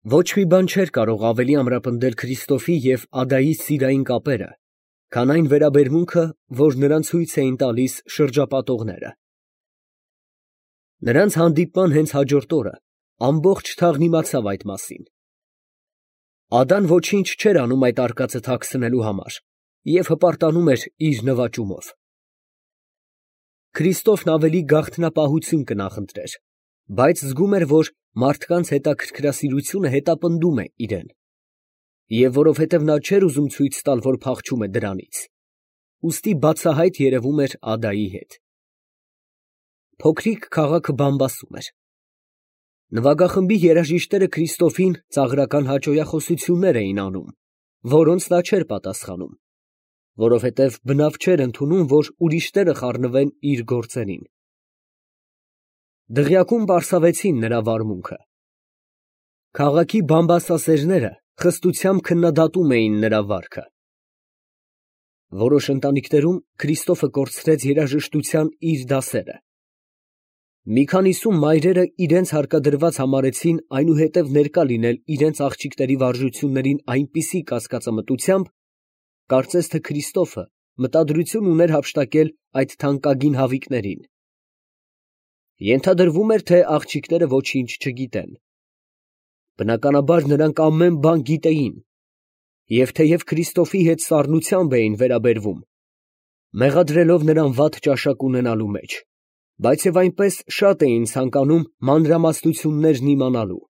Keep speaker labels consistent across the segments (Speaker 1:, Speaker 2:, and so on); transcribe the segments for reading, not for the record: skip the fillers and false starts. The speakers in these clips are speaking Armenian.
Speaker 1: Ոչ մի բան չէր կարող ավելի ամրապնդել Քրիստոֆի և Ադայի սիրային կապերը, քան այն վերաբերմունքը, որ նրան ցույց էին տալիս շրջապատողները։ Նրանց հանդիպման հենց հաջորդ օրը ամբողջ թաղն իմացավ այդ մասին։ Ադան ոչինչ չէր անում այդ արկածը թաքցնելու համար և հպարտանում էր իր նվաճումով։ Քրիստոֆն ավելի գաղտնապահություն կնախընտրեր, բայց զգում էր, որ մարդկանց հետաքրքրասիրությունը հետապնդում է իրեն, և որովհետև նա չէր ուզում ցույց տալ, որ փախչում է դրանից, ուստի բացահայտ երևում էր Ադայի հետ։ Փոքրիկ քաղաքը բամբասում էր։ Նվագախմբի երաժիշտները Քրիստոֆին ծաղրական հաճոյախոսություններ էին անում, որոնց նա չէր պատասխանում, որովհետև բնավ չէր ընդունում, որ ուրիշները խառնվեն իր գործերին։ Դղյակում պարսավեցին նրա վարմունքը։ Քաղաքի բամբասասերները խստությամբ քննադատում էին նրա վարքը։ Որոշ ընտանիքներում Քրիստոֆը կորցրեց երաժշտության իր դասերը։ Մի քանիսում մայրերը իրենց հարկադրված համարեցին այնուհետև ներկա լինել իրենց աղջիկների վարժություններին այնպիսի կասկածամտությամբ, կարծես թե Քրիստոֆը մտադրություն ուներ հափշտակել այդ թանկագին հավիկներին։ Ենթադրվում էր, թե աղջիկները ոչինչ չգիտեն։ Բնականաբար նրանք ամեն բան գիտեին, և թեև Քրիստոֆի հետ սառնությամբ էին վերաբերվում, մեղադրելով նրան վատ ճաշակ ունենալու մեջ, բայց և այնպես շատ էին ցանկանում մանրամասնություններն իմանալու։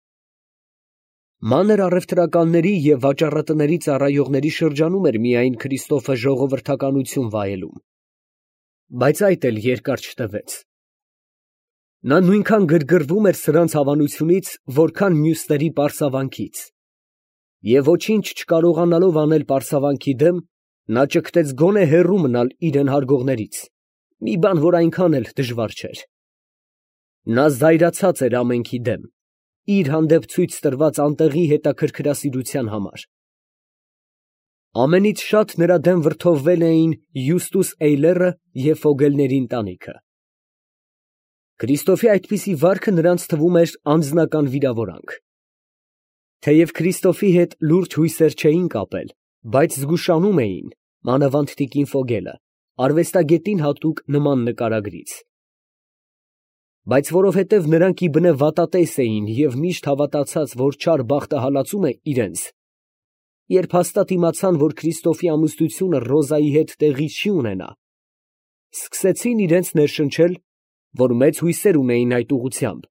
Speaker 1: Մանր առևտրականների և վաճառատների ծառայողների շրջանում էր միայն Քրիստոֆը ժողովրդականություն վայելում, բայց այդ էլ երկար չտևեց։ Նա նույնքան գրգռվում էր սրանց հավանությունից, որքան մյուսների պարսավանքից, և ոչինչ չկարողանալով անել պարսավանքի դեմ, նա ճգտեց գոնե հեռու մնալ իրեն հարգողներից, մի բան, որ այնքան էլ դժվար չէր։ Նա զայրացած էր ամենքի դեմ, իր հանդեպ ցույց տրված անտեղի հետաքրքրասիրության համար։ Ամենից շատ նրա դեմ վրդովվել էին Յուստուս Էյլերը և Ֆոգելների ընտանիքը։ Քրիստոֆի այդպիսի վարքը նրանց թվում էր անձնական վիրավորանք։ Թեև Քրիստոֆի հետ լուրջ հույսեր չէին կապել, բայց զգուշանում էին, մանավանդ տիկին Ֆոգելը, արվեստագետին հատուկ նման նկարագրից։ Բայց որովհետև նրանք իբնե վատատես էին և միշտ հավատացած, որ չար բախտը հալածում է իրենց, երբ հաստատ իմացան, որ Քրիստոֆի ամուսնությունը Ռոզայի հետ տեղի չի ունենա, սկսեցին իրենց ներշնչել, որ մեծ հույսեր ունեին այդ ուղղությամբ,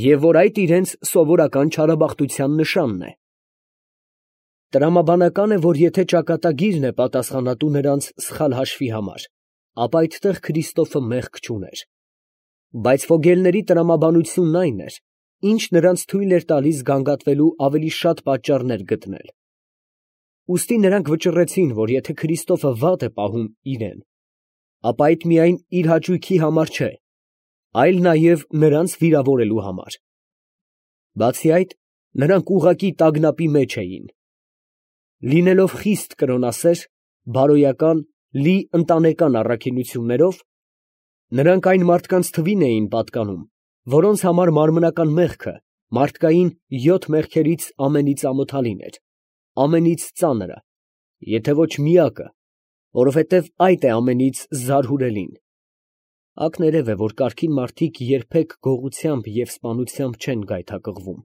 Speaker 1: և որ այդ իրենց սովորական չարաբախտության նշանն է։ Տրամաբանական է, որ եթե ճակատագիրն է պատասխանատու նրանց սխալ հաշվի համար, ապա այդտեղ Քրիստոֆը մեղք չուներ։ Բայց Ֆոգելների տրամաբանությունն այն էր, ինչ նրանց թույլ էր տալիս գանգատվելու ավելի շատ պատճառներ գտնել։ Ուստի նրանք վճռեցին, որ եթե Քրիստոֆը վատ է պահում իրեն, ապա այդ միայն իր հաճույքի համար չէ, այլ նաև նրանց վիրավորելու համար։ Բացի այդ, նրանք ուղղակի տագնապի մեջ էին։ Լինելով խիստ կրոնասեր, բարոյական, լի ընտանեկան առաքինություններով, նրանք այն մարդկանց թվին էին պատկանում, որոնց համար մարմնական մեղքը մարդկային 7 մեղքերից ամենից ամոթալին էր, ամենից ծանրը, եթե ոչ միակը, որովհետև այդ է ամենից զարհուրելին։ Ակներև է, որ կարգին մարդիկ երբեք գողությամբ և սպանությամբ չեն գայթակղվում։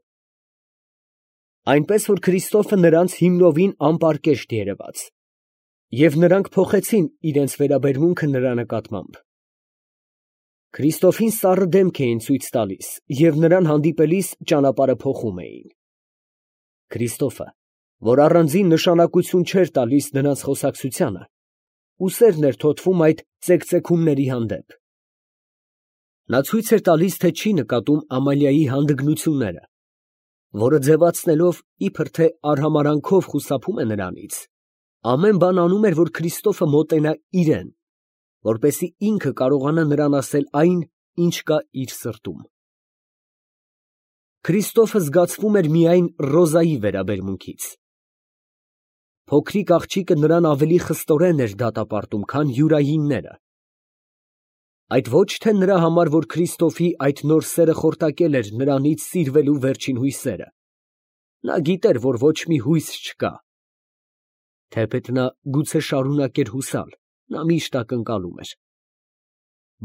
Speaker 1: Այնպես որ Քրիստոֆը նրանց հիմնովին անպարկեշտ երևաց, և նրանք փոխեցին իրենց վերաբերմունքը նրա նկատմամբ։ Քրիստոֆին սառը դեմք էին ցույց տալիս և նրան հանդիպելիս ճանապարհը փոխում էին։ Քրիստոֆը, որ առանձին նշանակություն չէր տալիս նրանց խոսակցությանը, ուսերն էր թոթվում այդ ծեկծեկումների հանդեպ։ Նա ցույց էր տալիս, թե չի նկատում Ամալիայի հանդգնությունները, որը ձևացնելով, իբր թե արհամարհանքով խուսափում է նրանից, ամեն բան անում էր, որ Քրիստոֆը մոտենա իրեն, որպեսզի ինքը կարողանա նրան ասել այն, ինչ կա իր սրտում։ Քրիստոֆը զգացվում էր միայն Ռոզայի վերաբերմունքից։ Փոքրիկ աղջիկը նրան ավելի խստորեն էր դատապարտում, քան յուրայինները։ Այդ ոչ թե նրա համար, որ Քրիստոֆի այդ նոր սերը խորտակել էր նրանից սիրվելու վերջին հույսերը, Նա գիտեր, որ ոչ մի հույս չկա։ Թեպետ նա գուցե շարունակեր հուսալ, նա միշտ ակնկալում էր։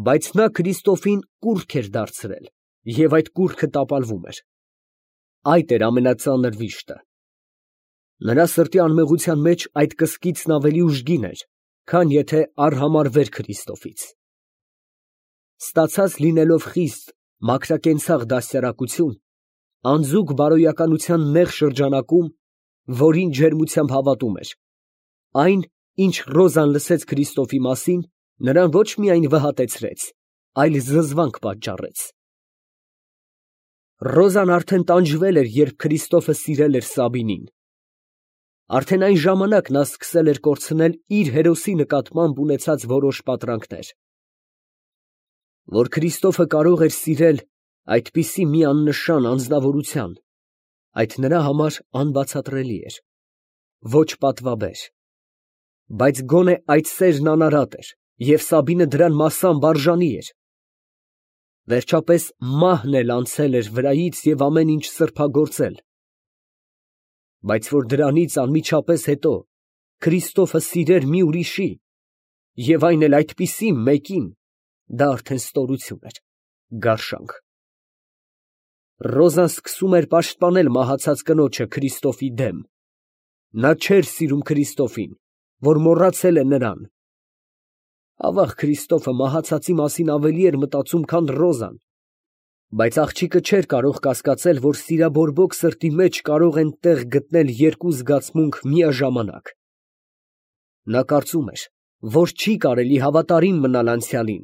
Speaker 1: Բայց նա Քրիստոֆին կուռք էր դարձրել, և այդ կուռքը տապալվում էր։ Այդ էր ամենածանր վիշտը։ Նրա սրտի անմեղության մեջ այդ կսկիծն ավելի ուժգին էր, քան եթե արհամարհվեր Քրիստոֆից։ Ստացած լինելով խիստ մաքրակենցաղ դաստիարակություն, անձուկ բարոյականության նեղ շրջանակում, որին ջերմությամբ հավատում էր, այն, ինչ Ռոզան լսեց Քրիստոֆի մասին, նրան ոչ միայն վհատեցրեց, այլ զզվանք պատճառեց։ Ռոզան արդեն տանջվել էր, երբ Քրիստոֆը սիրել էր Սաբինին։ Արդեն այն ժամանակ նա սկսել էր կորցնել իր հերոսի նկատմամբ ունեցած որոշ պատրանքներ։ Որ Քրիստոֆը կարող էր սիրել այդպիսի մի աննշան անձնավորության, այդ նրա համար անբացատրելի էր, ոչ պատվաբեր։ Բայց գոնե այդ սերն անարատ էր, և Սաբինը դրան մասամբ արժանի էր։ Վերջապես մահն էլ անցել էր վրայից և ամեն ինչ սրբագործել։ Բայց որ դրանից անմիջապես հետո Քրիստոֆը սիրեր մի ուրիշի, և այն էլ այդպիսի մեկին, դա արդեն ստորություն էր, գարշանք։ Ռոզան սկսում էր պաշտպանել մահացած կնոջը Քրիստոֆի դեմ։ Նա չէր սիրում Քրիստոֆին, որ մոռացել է նրան։ Ավաղ Քրիստոֆը մահացածի մասին ավելի էր մտածում, քան Ռոզան, բայց աղջիկը չէր կարող կասկածել, որ սիրաբորբոք սրտի մեջ կարող են տեղ գտնել երկու զգացմունք միաժամանակ։ Նա կարծում էր, որ չի կարելի հավատարիմ մնալ անցյալին,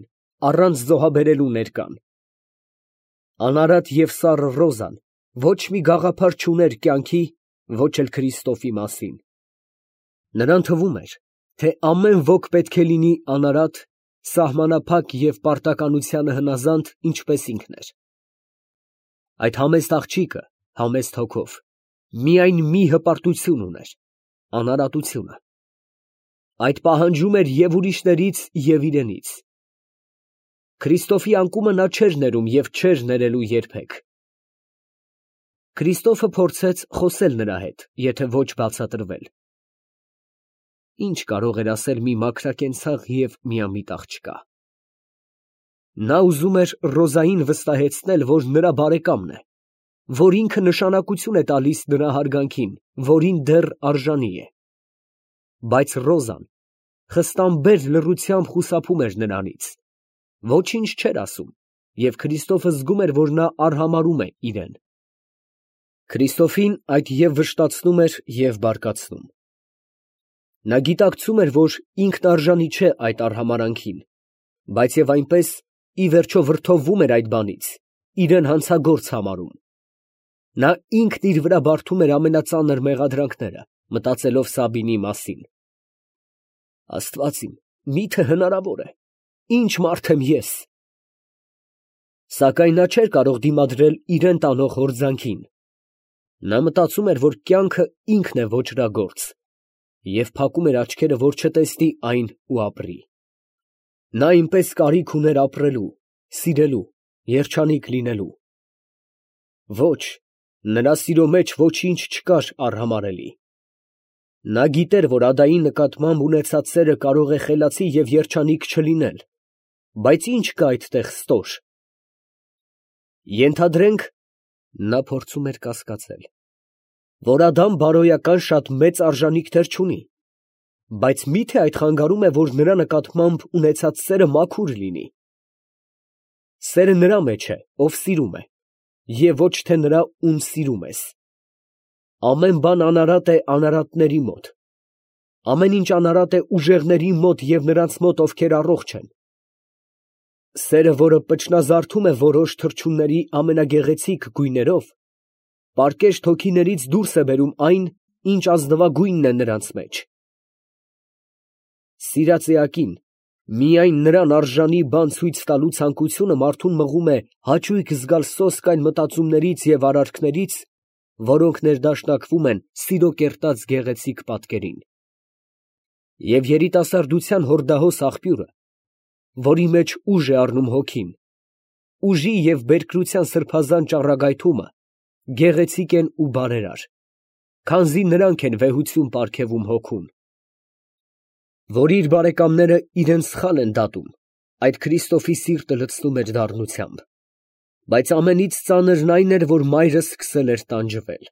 Speaker 1: առանց զոհաբերելու ներկան։ Անարատ և սառը Ռոզան ոչ մի գաղափար չուներ կյանքի, ոչ էլ Քրիստոֆի մասին։ Նրան թվում էր, թե ամեն ոք պետք է լինի անարատ, սահմանափակ և պարտականությանը հնազանդ, ինչպես ինքն էր։ Այդ համեստ աղջիկը, համեստ հոգով, միայն մի հպարտություն ուներ, անարատությունը։ Այդ պահանջում էր և ուրիշներից, և իրենից։ Քրիստոֆի անկումը նա չէր ներում և չէր ներելու երբեք։ Քրիստոֆը փորձեց խոսել նրա հետ, եթե ոչ բացատրվել։ Ինչ կարող էր ասել մի մաքրակենցաղ և միամիտ աղջկա։ Նա ուզում էր Ռոզային վստահեցնել, որ նրա բարեկամն է, որ ինքը նշանակություն է տալիս նրա հարգանքին, որին դեռ արժանի է։ Բայց Ռոզան խստամբեր լռությամբ խուսափում էր նրանից, ոչինչ չէր ասում, և Քրիստոֆը զգում էր, որ նա արհամարհում է իրեն։ Քրիստոֆին այդ և վշտացնում էր, և բարկացնում։ Նա գիտակցում էր, որ ինքն արժանի չէ այդ արհամարհանքին, բայց և այնպես, ի վերջո, վրդովվում էր այդ բանից, իրեն հանցագործ համարում։ Նա ինքն իր վրա բարդում էր ամենածանր մեղադրանքները, մտածելով Սաբինի մասին։ Աստված իմ, մի՞թե հնարավոր է, ինչ մարդ եմ ես։ Սակայն նա չէր կարող դիմադրել իրան տանող հորձանքին։ Նա մտածում էր, որ կյանքը ինքն է ոճրագործ, և փակում էր աչքերը, որ չտեսնի այն ու ապրի։ Նա այնպես կարիք ուներ ապրելու, սիրելու, երջանիկ լինելու։ Ոչ, նրա սիրո մեջ ոչինչ չկար արհամարհելի։ Նա գիտեր, որ ադայի նկատմամբ ունեցած սերը կարող է խելացի և երջանիկ չլինել, բայց ի՞նչ կա այդտեղ ստոր։ Ենթադրենք, նա փորձում էր կասկածել, որ Ադամ բարոյական շատ մեծ արժանիքներ չունի, բայց մի՞թե այդ խանգարում է, որ նրա նկատմամբ ունեցած սերը մաքուր լինի։ Սերը նրա մեջ է, ով սիրում է, և ոչ թե նրա, ում սիրում ես։ Ամեն բան անարատ է անարատների մոտ, ամեն ինչ անարատ է ուժեղների մոտ և նրանց մոտ, ովքեր առողջ են։ Սերը, որը պճնազարդում է որոշ թռչունների ամենագեղեցիկ գույներով, պարկեշտ հոգիներից դուրս է բերում այն, ինչ ազնվագույնն է նրանց մեջ։ Սիրած էակին միայն նրան արժանի բան ցույց տալու ցանկությունը մարդուն մղում է հաճույք զգալ սոսկ այն մտածումներից և արարքներից, որոնք ներդաշնակվում են սիրո կերտած գեղեցիկ պատկերին։ Եվ երիտասարդության հորդահոս աղբյուրը, որի մեջ ուժ է առնում հոգին, ուժի և բերկրության սրբազան ճառագայթումը, գեղեցիկ են ու բարերար, քանզի նրանք են վեհություն պարգևում հոգուն։ Որ իր բարեկամները իրան սխալ են դատում, այդ Քրիստոֆի սիրտը լցնում էր դառնությամբ, բայց ամենից ծանրն այն էր, որ մայրը սկսել էր տանջվել։